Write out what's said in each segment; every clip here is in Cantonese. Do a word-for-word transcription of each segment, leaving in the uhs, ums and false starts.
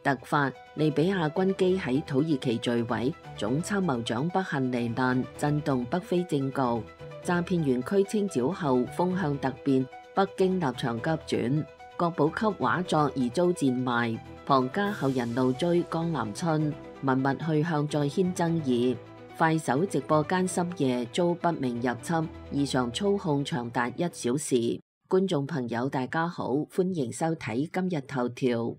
突發，利比亞軍機喺土耳其墜毀，總參謀長不幸罹難，震動北非政局。詐騙園區清剿後風向突變，北京立場急轉，國寶級畫作疑遭賤賣，龐家後人怒追江南春，文物去向再掀爭議。快手直播間深夜遭不明入侵，異常操控長達一小時。觀眾朋友大家好，歡迎收睇今日頭條。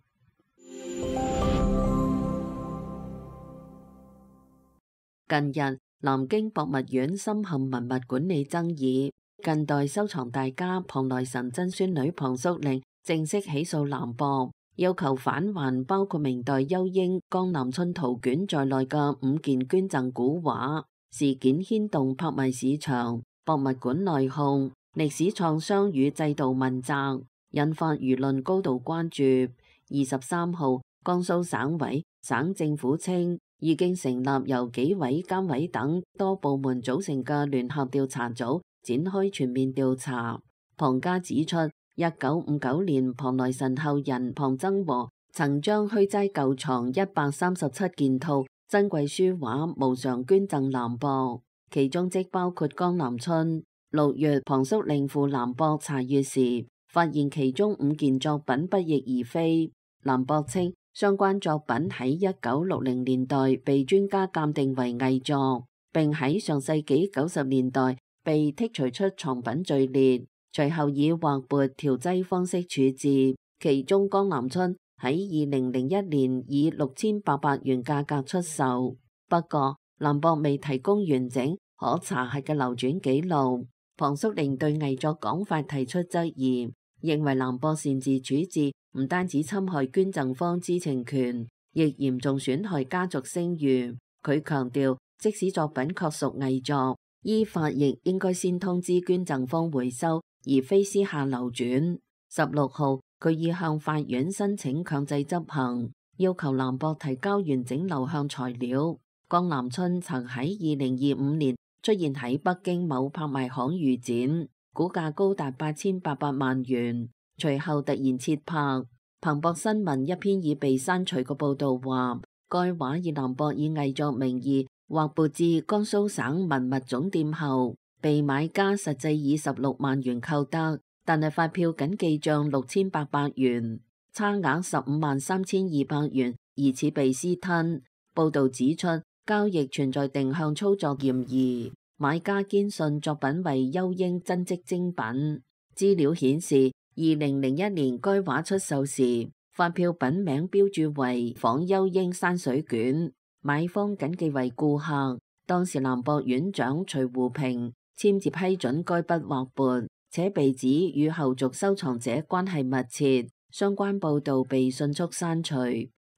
近日，南京博物院深陷文物管理爭議，近代收藏大家龐來臣曾孫女龐淑玲正式起訴南博，要求返還包括明代邱英、江南春圖卷在內嘅五件捐贈古畫。事件牽動拍賣市場、博物館內訌、歷史創傷與制度問責，引發輿論高度關注。二十三號，江蘇省委、省政府稱，已經成立由紀委、監委等多部門組成嘅聯合調查組，展開全面調查。龐家指出，一九五九年龐來臣後人龐曾和曾將虛齋舊藏一百三十七件套珍貴書畫無償捐贈南博，其中即包括江南春。六月，龐淑玲赴南博查閱時，發現其中五件作品不翼而飛。南博稱，相關作品喺一九六零年代被專家鑑定為偽作，並喺上世紀九十年代被剔除出藏品序列，隨後以劃撥調劑方式處置。其中江南春喺二零零一年以六千八百元價格出售，不過南博未提供完整可查核嘅流轉記錄。龐淑玲對偽作講法提出質疑，認為南博擅自處置唔單止侵害捐贈方知情權，亦嚴重損害家族聲譽。佢強調，即使作品確屬偽作，依法亦應該先通知捐贈方回收，而非私下流轉。十六號，佢已向法院申請強制執行，要求南博提交完整流向材料。江南春曾喺二零二五年出現喺北京某拍賣行預展，估價高達八千八百萬元。隨後突然撤拍。彭博新聞一篇已被刪除嘅報道話，該畫以南博以偽作名義劃撥至江蘇省文物總店後，被買家實際以十六萬元購得，但係發票僅記賬六千八百元，差額十五萬三千二百元疑似被私吞。報道指出，交易存在定向操作嫌疑，買家堅信作品為邱英真跡精品。資料顯示，二零零一年該畫出售時，發票品名標注為仿邱英山水卷，買方謹記為顧客。當時南博院長徐湖平簽字批准該筆劃撥，且被指與後續收藏者關係密切，相關報道被迅速刪除。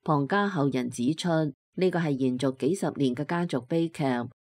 龐家後人指出，呢個係延續幾十年嘅家族悲劇，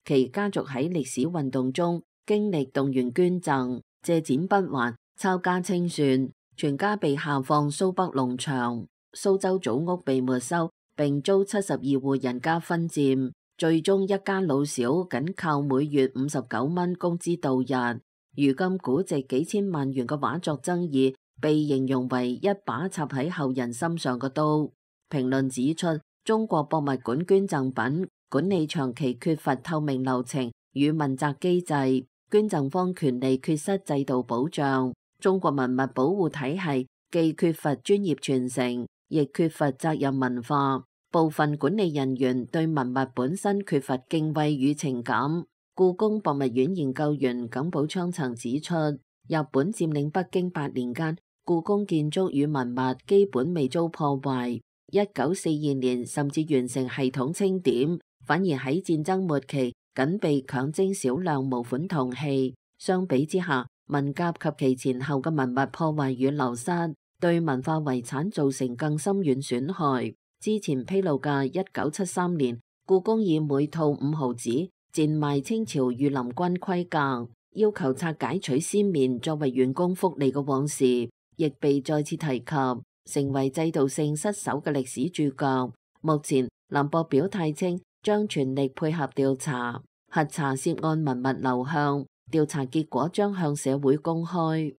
其家族喺歷史運動中經歷動員捐贈、借錢不還、抄家清算，全家被下放蘇北農場，蘇州祖屋被沒收，並遭七十二戶人家分佔，最終一家老小僅靠每月五十九蚊工資度日。如今估值幾千萬元嘅畫作爭議，被形容為一把插喺後人心上嘅刀。評論指出，中國博物館捐贈品管理長期缺乏透明流程與問責機制，捐贈方權利缺失制度保障。中國文物保護體系既缺乏專業傳承，亦缺乏責任文化，部分管理人員對文物本身缺乏敬畏與情感。故宮博物院研究員耿寶昌曾指出，日本佔領北京八年間，故宮建築與文物基本未遭破壞。一九四二年甚至完成系統清點，反而喺戰爭末期僅被強徵少量模款銅器。相比之下，文革及其前後嘅文物破壞與流失，對文化遺產造成更深遠損害。之前披露嘅一九七三年，故宮以每套五毫紙賤賣清朝御林軍盔甲，要求拆解取絲面作為員工福利嘅往事，亦被再次提及，成為制度性失守嘅歷史注腳。目前南博表態稱，將全力配合調查，核查涉案文物流向。調查結果將向社會公開。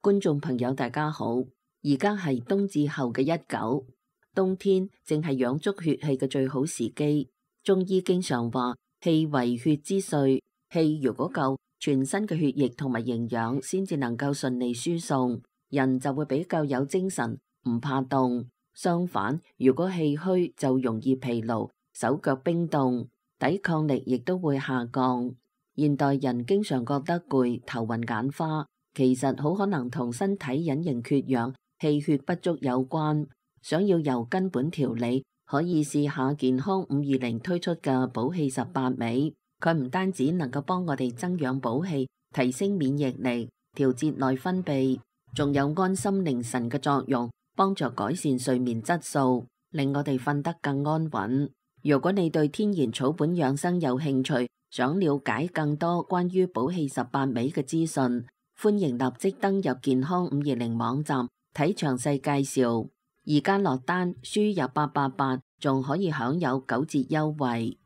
觀眾朋友大家好，而家係冬至後嘅一九，冬天正係養足血氣嘅最好時機。中醫經常話氣為血之髓，氣如果夠，全身嘅血液同埋營養先至能夠順利輸送，人就會比較有精神，唔怕凍。相反，如果氣虛就容易疲勞，手腳冰凍，抵抗力亦都會下降。現代人經常覺得攰、頭暈眼花，其實好可能同身體隱形缺氧、氣血不足有關。想要由根本調理，可以試下健康五二零推出嘅補氣十八味。佢唔單止能夠幫我哋增養補氣、提升免疫力、調節內分泌，仲有安心寧神嘅作用，幫助改善睡眠質素，令我哋瞓得更安穩。如果你對天然草本養生有興趣，想了解更多關於補氣十八味嘅資訊，歡迎立即登入健康五二零網站睇詳細介紹。而家落單輸入八八八，仲可以享有九折優惠。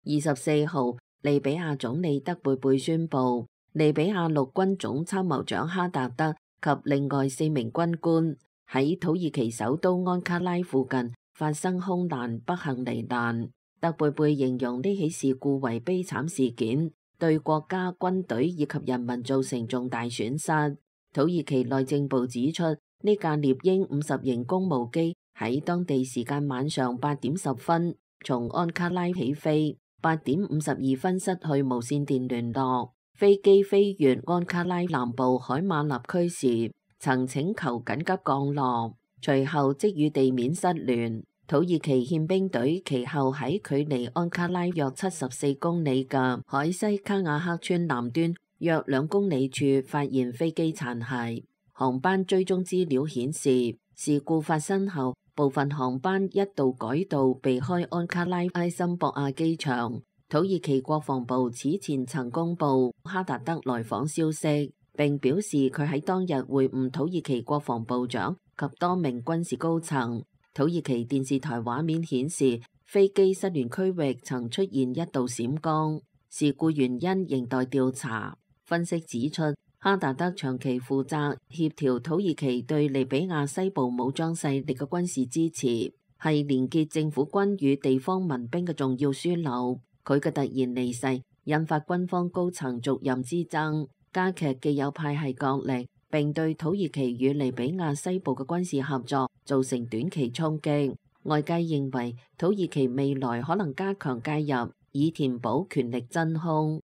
二十四號，利比亞總理德貝貝宣布，利比亞陸軍總參謀長哈達德及另外四名軍官喺土耳其首都安卡拉附近發生空難，不幸罹難。德貝貝形容呢起事故為悲慘事件，對國家軍隊以及人民造成重大損失。土耳其內政部指出，呢架獵鷹五十型公務機喺當地時間晚上八點十分從安卡拉起飛，八點五十二分失去無線電聯絡。飛機飛越安卡拉南部海馬納區時，曾請求緊急降落，隨後即與地面失聯。土耳其憲兵隊其後喺距離安卡拉約七十四公里嘅海西卡瓦克村南端約兩公里處發現飛機殘骸。航班追蹤資料顯示，事故發生後，部分航班一度改道避開安卡拉埃森博亞機場。土耳其國防部此前曾公布哈達德來訪消息，並表示佢喺當日會晤土耳其國防部長及多名軍事高層。土耳其電視台畫面顯示，飛機失聯區域曾出現一道閃光，事故原因仍待調查。分析指出，哈達德長期負責協調土耳其對利比亞西部武裝勢力嘅軍事支持，係連結政府軍與地方民兵嘅重要樞紐。佢嘅突然離世，引發軍方高層續任之爭，加劇既有派系角力，並對土耳其與利比亞西部嘅軍事合作造成短期衝擊。外界認為土耳其未來可能加強介入，以填補權力真空。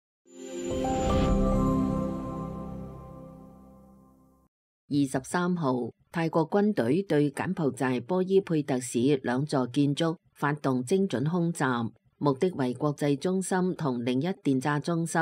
二十三號，泰國軍隊對柬埔寨波伊佩特市兩座建築發動精準空襲，目的為國際中心同另一電詐中心。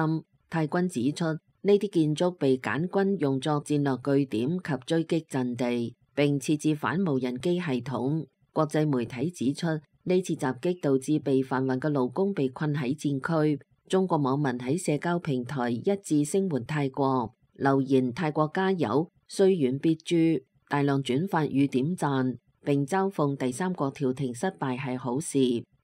泰軍指出，呢啲建築被柬軍用作戰略據點及追擊陣地，並設置反無人機系統。國際媒體指出，呢次襲擊導致被販運嘅勞工被困喺戰區。中國網民喺社交平台一致聲援泰國，留言泰國加油，雖遠必誅，大量轉發與點讚，並嘲諷第三國調停失敗係好事，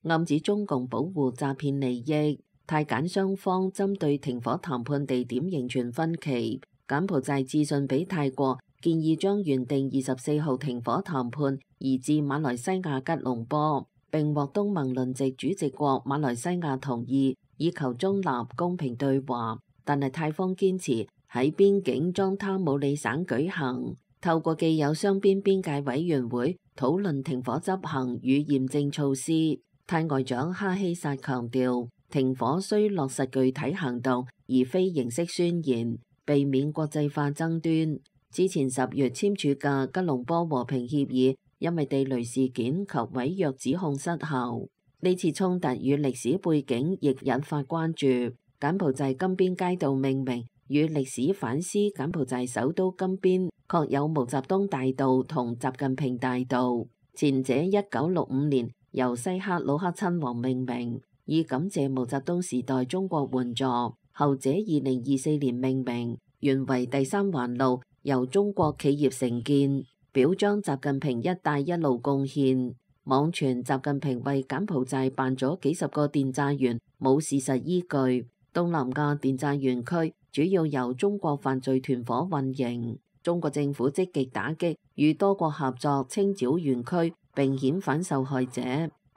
暗指中共保護詐騙利益。泰柬雙方針對停火談判地點仍存分歧。柬埔寨致信俾泰國，建議將原定二十四號停火談判移至馬來西亞吉隆坡，並獲東盟輪值主席國馬來西亞同意，以求中立公平對話。但係泰方堅持喺邊境莊他姆里省舉行，透過既有雙邊邊界委員會討論停火執行與驗證措施。泰外長哈希薩強調，停火需落實具體行動，而非形式宣言，避免國際化爭端。之前十月簽署嘅吉隆坡和平協議，因為地雷事件及違約指控失效。呢次衝突與歷史背景亦引發關注。柬埔寨金邊街道命名與歷史反思，柬埔寨首都金邊確有毛澤東大道同習近平大道，前者一九六五年由西克魯克親王命名，以感謝毛澤東時代中國援助；後者二零二四年命名，原為第三環路，由中國企業承建，表彰習近平一帶一路貢獻。網傳習近平為柬埔寨辦咗幾十個電詐員，冇事實依據。東南亞電債園區主要由中國犯罪團伙運營，中國政府積極打擊，與多國合作清剿園區並遣返受害者。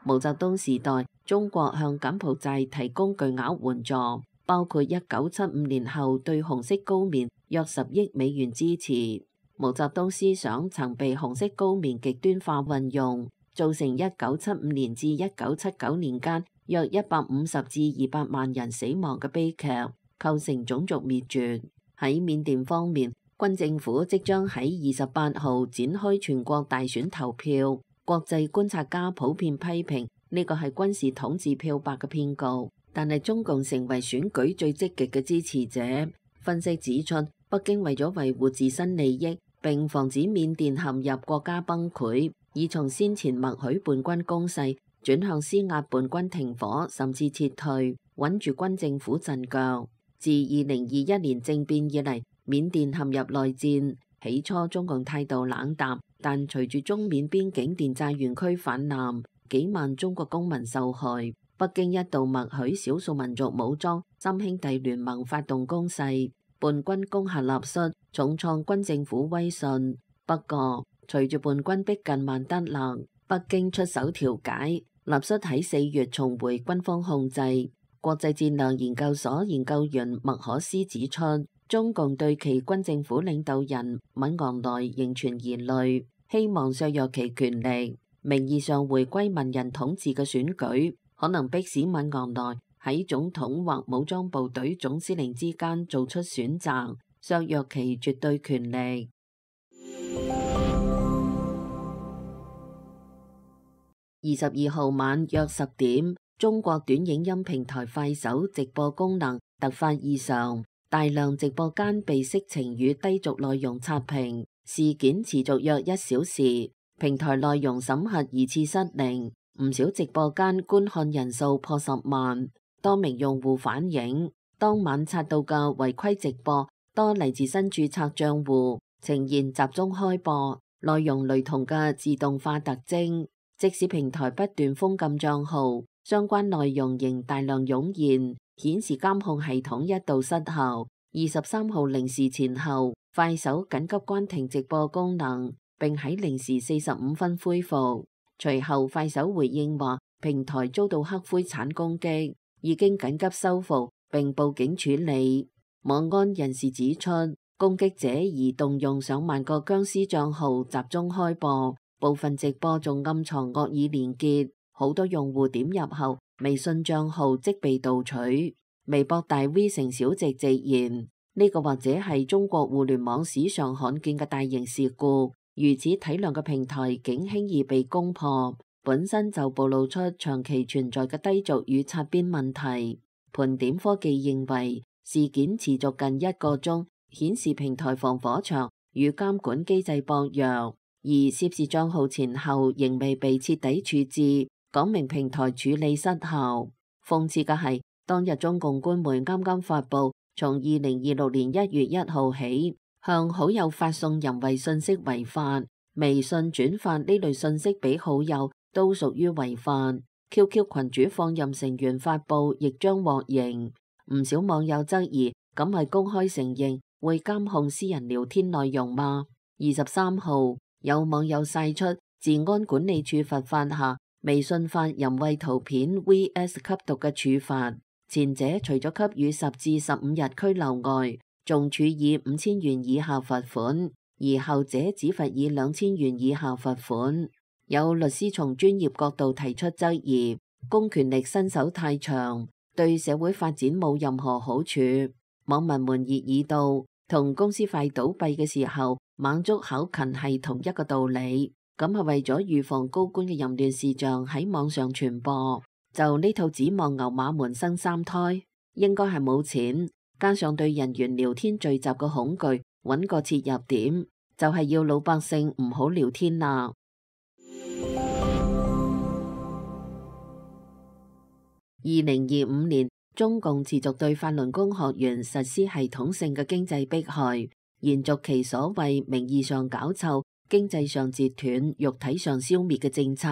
毛澤東時代，中國向柬埔寨提供巨額援助，包括一九七五年後對紅色高棉約十億美元支持。毛澤東思想曾被紅色高棉極端化運用，造成一九七五年至一九七九年間約一百五十至二百萬人死亡嘅悲劇，構成種族滅絕。喺緬甸方面，軍政府即將喺二十八號展開全國大選投票。國際觀察家普遍批評呢個係軍事統治漂白嘅騙局，但係中共成為選舉最積極嘅支持者。分析指出，北京為咗維護自身利益並防止緬甸陷入國家崩潰，已從先前默許叛軍攻勢轉向施壓叛軍停火，甚至撤退，穩住軍政府陣腳。自二零二一年政變以嚟，緬甸陷入內戰。起初中共態度冷淡，但隨住中緬邊境電債園區泛濫，幾萬中國公民受害。北京一度默許少數民族武裝三兄弟聯盟發動攻勢，叛軍攻下納率，重創軍政府威信。不過，隨住叛軍逼近曼德勒，北京出手調解，納率喺四月重回軍方控制。國際戰略研究所研究員麥可斯指出，中共對其軍政府領導人敏昂萊仍存疑慮，希望削弱其權力。名義上回歸文人統治嘅選舉，可能迫使敏昂萊喺總統或武裝部隊總司令之間做出選擇，削弱其絕對權力。二十二號晚約十點，中國短影音平台快手直播功能突發異常。大量直播間被色情與低俗內容刷屏，事件持續約一小時。平台內容審核疑似失靈，唔少直播間觀看人數破十萬。多名用戶反映，當晚刷到嘅違規直播多嚟自新註冊賬戶，呈現集中開播，內容雷同嘅自動化特徵。即使平台不斷封禁賬號，相關內容仍大量湧現。顯示監控系統一度失效。二十三號零時前後，快手緊急關停直播功能，並喺零時四十五分恢復。隨後，快手回應話，平台遭到黑灰產攻擊，已經緊急修復並報警處理。網安人士指出，攻擊者已動用上萬個僵屍賬號集中開播，部分直播仲暗藏惡意連結，好多用戶點入後，微信賬號即被盜取。微博大 V 成小直直言，呢個或者係中國互聯網史上罕見嘅大型事故。如此體量嘅平台竟輕易被攻破，本身就暴露出長期存在嘅低俗與擦邊問題。盤點科技認為，事件持續近一個鐘，顯示平台防火牆與監管機制薄弱，而涉事賬號前後仍未被徹底處置，講明平台處理失效。諷刺嘅係，當日中共官媒啱啱發布，從二零二六年一月一號起，向好友發送淫穢信息違法，微信轉發呢類信息俾好友都屬於違法。Q Q 群主放任成員發布亦將獲刑。唔少網友質疑，咁係公開承認會監控私人聊天內容嗎？二十三號，有網友晒出治安管理處罰法下微信發淫穢圖片 V S 吸毒嘅處罰，前者除咗給予十至十五日拘留外，仲處以五千元以下罰款，而後者只罰以兩千元以下罰款。有律師從專業角度提出質疑，公權力伸手太長，對社會發展冇任何好處。網民們熱議道，同公司快倒閉嘅時候猛捉考勤係同一個道理。咁係為咗預防高官嘅淫亂事象喺網上傳播，就呢套指望牛馬們生三胎，應該係冇錢，加上對人員聊天聚集嘅恐懼，揾個切入點，就係要老百姓唔好聊天啦。二零二五年，中共持續對法輪功學員實施系統性嘅經濟迫害，延續其所謂名義上搞臭、經濟上截斷、肉體上消滅嘅政策。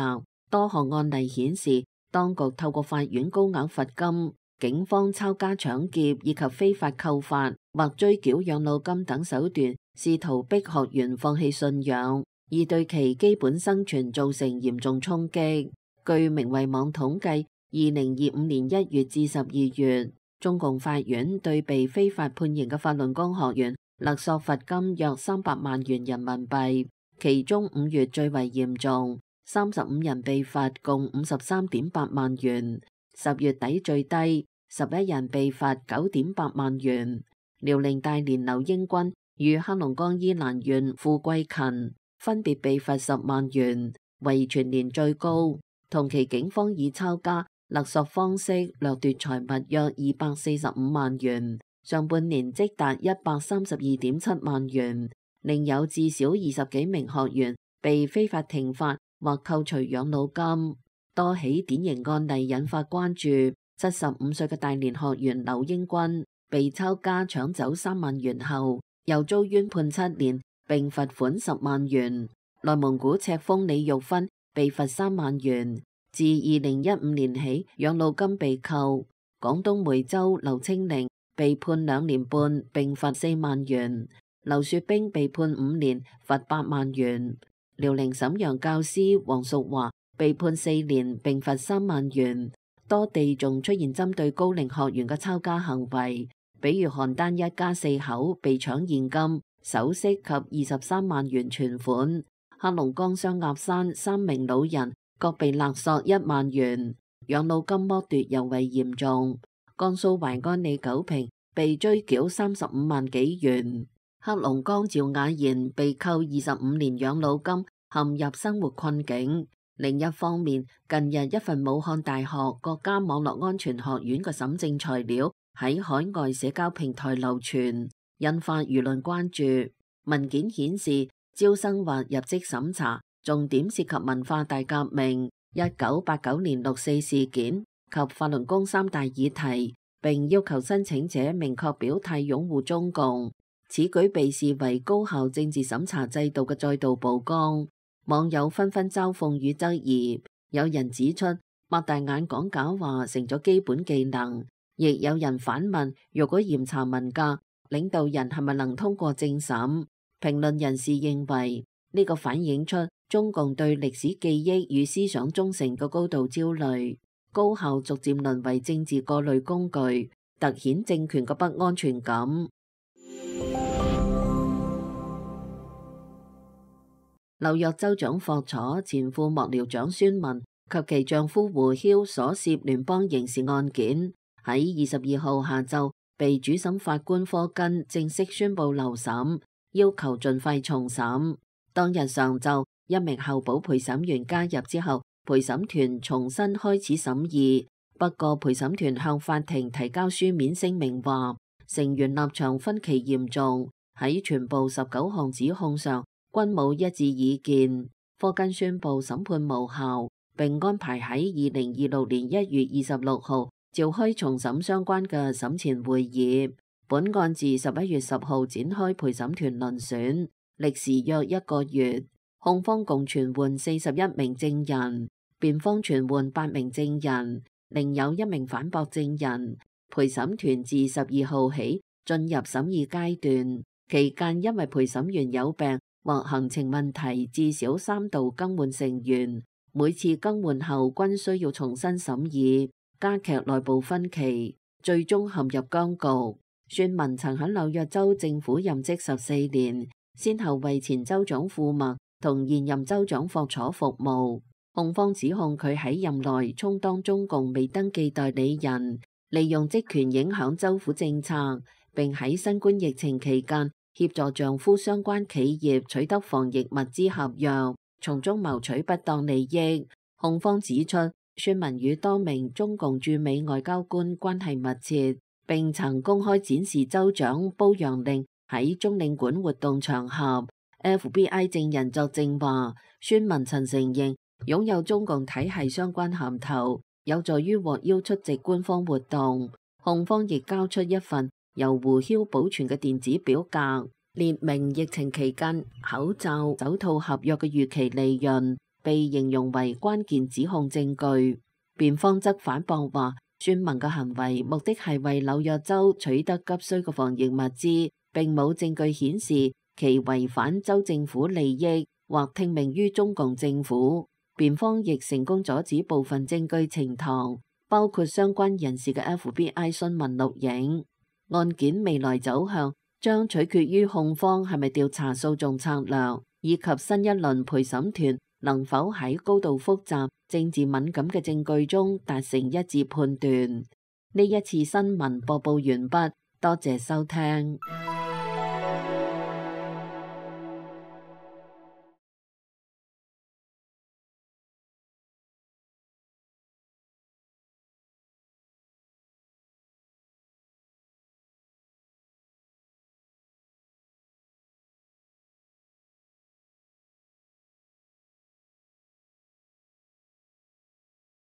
多項案例顯示，當局透過法院高額罰金、警方抄家搶劫以及非法扣發或追繳養老金等手段，試圖逼學員放棄信仰，而對其基本生存造成嚴重衝擊。據明慧網統計，二零二五年一月至十二月，中共法院對被非法判刑嘅法輪功學員勒索罰金約三百萬元人民幣，其中五月最為嚴重，三十五人被罰共五十三點八萬元。十月底最低，十一人被罰九點八萬元。遼寧大連劉英軍與黑龍江伊蘭縣傅桂勤分別被罰十萬元，為全年最高。同期警方以抄家勒索方式掠奪財物約二百四十五萬元，上半年即達一百三十二點七萬元。另有至少二十幾名學員被非法停發或扣除養老金。多起典型案例引發關注。七十五歲嘅大連學員劉英軍被抄家搶走三萬元後，又遭冤判七年並罰款十萬元。內蒙古赤峰李玉芬被罰三萬元。自二零一五年起，養老金被扣。廣東梅州劉清玲被判兩年半並罰四萬元。劉雪冰被判五年，罰八萬元。遼寧瀋陽教師黃淑華被判四年並罰三萬元。多地仲出現針對高齡學員嘅抄家行為，比如邯鄲一家四口被搶現金、首飾及二十三萬元存款；黑龍江雙鴨山三名老人各被勒索一萬元，養老金剝奪尤為嚴重。江蘇淮安李九平被追繳三十五萬幾元。黑龍江趙雅賢被扣二十五年養老金，陷入生活困境。另一方面，近日一份武漢大學國家網絡安全學院嘅審證材料喺海外社交平台流傳，引發輿論關注。文件顯示，招生或入職審查重點涉及文化大革命、一九八九年六四事件及法輪功三大議題，並要求申請者明確表態擁護中共。此舉被視為高校政治審查制度嘅再度曝光。網友紛紛嘲諷與質疑，有人指出擘大眼講假話成咗基本技能，亦有人反問：如果嚴查文革，領導人係咪能通過政審？評論人士認為呢個反映出中共對歷史記憶與思想忠誠嘅高度焦慮，高校逐漸淪為政治過濾工具，凸顯政權嘅不安全感。紐約州長霍楚、前副幕僚長孫文及其丈夫胡曉所涉聯邦刑事案件，喺二十二號下晝被主審法官科根正式宣布留審，要求盡快重審。當日上晝，一名候補陪審員加入之後，陪審團重新開始審議。不過陪審團向法庭提交書面聲明話，成員立場分歧嚴重，喺全部十九項指控上均冇一致意見。科根宣布審判無效，並安排喺二零二六年一月二十六號召開重審相關嘅審前會議。本案自十一月十號展開陪審團遴選，歷時約一個月。控方共傳喚四十一名證人，辯方傳喚八名證人，另有一名反駁證人。陪審團自十二號起進入審議階段，期間因為陪審員有病或行程問題，至少三度更換成員，每次更換後均需要重新審議，加劇內部分歧，最終陷入僵局。孫文曾喺紐約州政府任職十四年，先後為前州長庫默同現任州長霍楚服務。控方指控佢喺任內充當中共未登記代理人，利用職權影響州府政策，並喺新冠疫情期間協助丈夫相關企業取得防疫物資合約，從中謀取不當利益。控方指出，孫文與多名中共駐美外交官關係密切，並曾公開展示州長褒揚令喺中領館活動場合。F B I 證人作證話，孫文曾承認擁有中共體系相關銜頭，有助於獲邀出席官方活動。控方亦交出一份由胡曉保存嘅電子表格，列明疫情期間口罩、手套合約嘅預期利潤，被形容為關鍵指控證據。辯方則反駁話，孫文嘅行為目的係為紐約州取得急需嘅防疫物資，並冇證據顯示其違反州政府利益或聽命於中共政府。辯方亦成功阻止部分證據呈堂，包括相關人士嘅 F B I 詢問錄影。案件未來走向將取決於控方係咪調查訴訟策略，以及新一輪陪審團能否喺高度複雜、政治敏感嘅證據中達成一致判斷。呢一次新聞播報完畢，多謝收聽。